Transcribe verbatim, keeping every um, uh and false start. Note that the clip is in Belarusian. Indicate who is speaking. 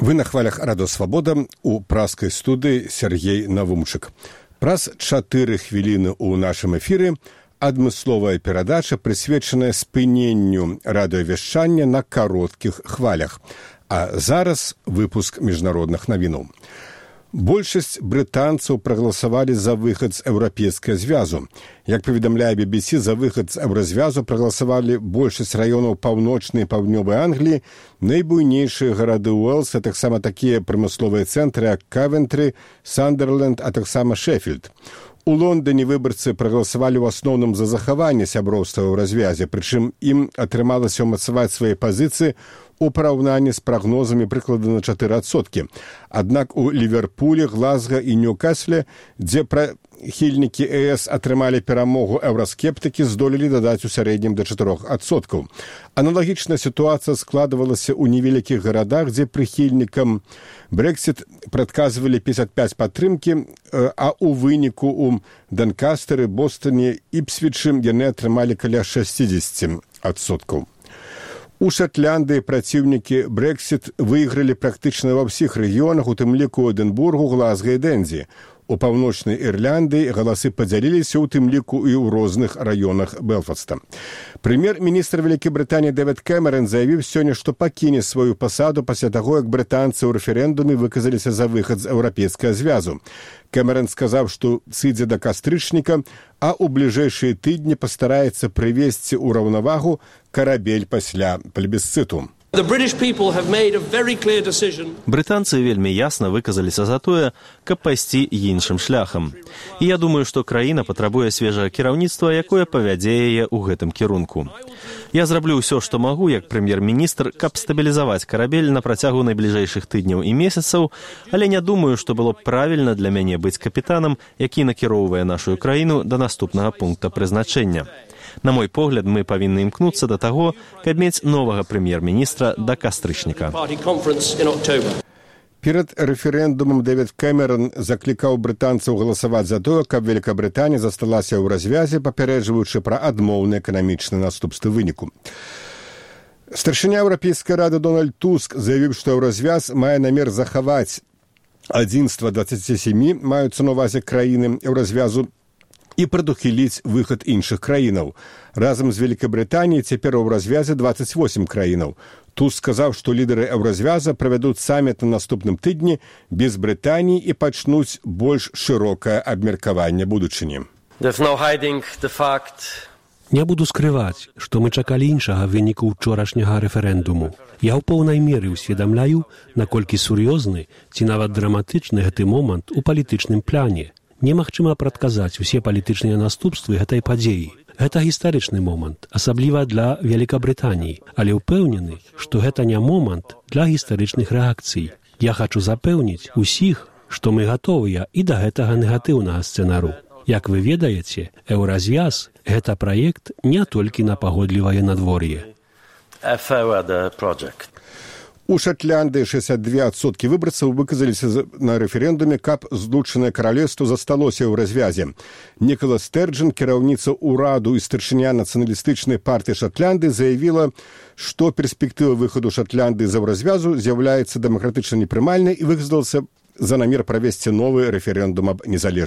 Speaker 1: Вы на хвалях Радио Свабода, у праскай студыі Сергей Навумчык. Праз чатыры хвіліны ў нашым эфіры адмысловая перадача, прысвечаная спыненню радыёвяшчання на кароткіх хвалях. А зараз выпуск міжнародных навінаў. Большасць брытанцаў прагаласавалі за выхад з еўрапейскага звязу. Як паведамляе би би си, за выхад з еўразвязу прагаласавалі большасць раёнаў паўночнай і паўднёвай Англіі, найбуйнейшыя гарады Уэльса, а таксама такія прамысловыя цэнтры, як Кавентры, Сандерленд, а таксама Шэфілд. У Лондоне выбарцы прагаласавалі ў асноўным за захаванне сяброўства ў развязе, прычым ім атрымалася ўмацаваць свае пазіцыі у параўнанні з прагнозамі прыкладна на чатыры адсоткі. Аднак у Ліверпулі, Глазга і Ньюкасле, дзе прыхільнікі ЕС атрымалі перамогу, еўраскептыкі здолелі дадаць у сярэднім да чатырох адсоткаў. Аналагічная сітуацыя складвалася ў невялікіх гарадах, дзе прыхільнікам Брэксіт прадказвалі пятьдесят пять падтрымкі, а ў выніку у Донкастары, Бостоне, Іпсвічы яны атрымалі каля шэсцьдзесят адсоткаў. У Шатландыі праціўнікі Брэксіт выйгралі практычна ва ўсіх рэгіёнах, у тым ліку Эдынбургу, Глазга і Дэнзі. У паўночнай Ірландыі галасы падзяліліся, у тым ліку і ў розных раёнах Белфаста. Прэм'ер-міністр Вялікай Брытаніі Дэвід Кэмерон заявіў сёння, што пакіне сваю пасаду пасля таго, як брытанцы ў рэферэндуме выказаліся за выхад з еўрапейскага звязу. Кэмерон сказаў, што сыдзе да кастрычніка, а ў бліжэйшыя тыдні пастараецца прывесці ў раўнавагу карабель пасля плебісцыту.
Speaker 2: Брытанцы вельмі ясна выказаліся за тое, каб пайсці іншым шляхам. І я думаю, што краіна патрабуе свежага кіраўніцтва, якое павядзе яе ў гэтым кірунку. Я зраблю ўсё, што магу, як прэм'ер-міністр, каб стабілізаваць карабель на працягу найбліжэйшых тыдняў і месяцаў, але не думаю, што было б правільна для мяне быць капітанам, які накіроўвае нашу краіну да наступнага пункта прызначэння. На мой погляд, мы павінны імкнуцца да таго, каб мець новага прэм'ер-міністра да кастрычніка.
Speaker 1: Перад рэферэндумам Дэвід Кэмерон заклікаў брытанцаў галасаваць за тое, каб Великабрытанія засталася ў развязе, папярэджваючы пра адмоўныя эканамічныя наступствы выніку. Старшыня Еўрапейскай рады Дональд Туск заявіў, што еўразвяз мае намер захаваць адзінства дваццаці сямі, маюцца на ўвазе краіны еўразвязу, і прадухіліць выхад іншых краінаў. Разам з Великабрытаніяй цяпер у развязе дваццаць восем краінаў. Туск сказаў, што лідары еўразвяза правядуць саміт на наступным тыдні без Брытаніі і пачнуць больш шырокае абмеркаванне будучыні.
Speaker 3: Не буду скрываць, што мы чакалі іншага выніку ўчорашняга рэферэндуму. Я ў поўнай меры ўсведамляю, наколькі сур'ёзны ці нават драматычны гэты момант у палітычным пляне. Немагчыма прадказаць усе палітычныя наступствы гэтай падзеі. Гэта гістарычны момант, асабліва для Великабрытаніі, але ўпэўнены, што гэта не момант для гістарычных рэакцый. Я хачу запэўніць усіх, што мы гатовыя і да гэтага негатыўнага сцэнару. Як вы ведаеце, еўразвяз – гэта праект не толькі на пагодлівае надвор'е.
Speaker 1: У Шатландыі шэсцьдзесят два адсоткі выбарцаў выказаліся на рэферэндуме, каб злучанае каралеўства засталося ў развязе. Нікала Стэрджан, кіраўніца ўраду і старшыня нацыяналістычнай партыі Шатландыі, заявіла, што перспектыва выхаду Шатландыі з еўразвязу з'яўляецца дэмакратычна непрымальнай і выказалася за намер правесці новы рэферэндум аб незалежнасці.